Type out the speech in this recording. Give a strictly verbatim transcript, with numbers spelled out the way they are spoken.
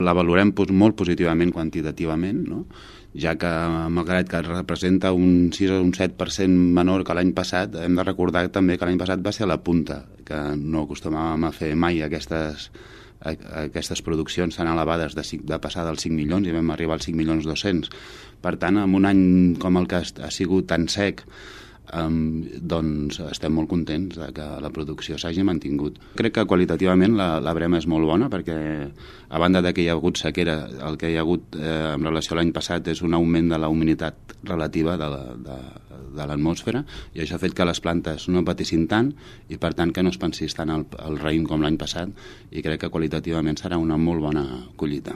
la valorem molt positivament quantitativament, no? Ja que, malgrat que representa un sis o un set per cent menor que l'any passat, hem de recordar també que l'any passat va ser a la punta, que no acostumàvem a fer mai aquestes, aquestes produccions tan elevades de, de passar dels cinc milions i vam arribar als cinc milions dos-cents. Per tant, en un any com el que ha sigut tan sec, Um, doncs estem molt contents de que la producció s'hagi mantingut. Crec que qualitativament la, la brema és molt bona perquè, a banda de que hi ha hagut sequera, el que hi ha hagut eh, en relació a l'any passat és un augment de la humiditat relativa de, la, de, de l'atmosfera, i això ha fet que les plantes no patissin tant i per tant que no es pensís tant el, el raïm com l'any passat, i crec que qualitativament serà una molt bona collita.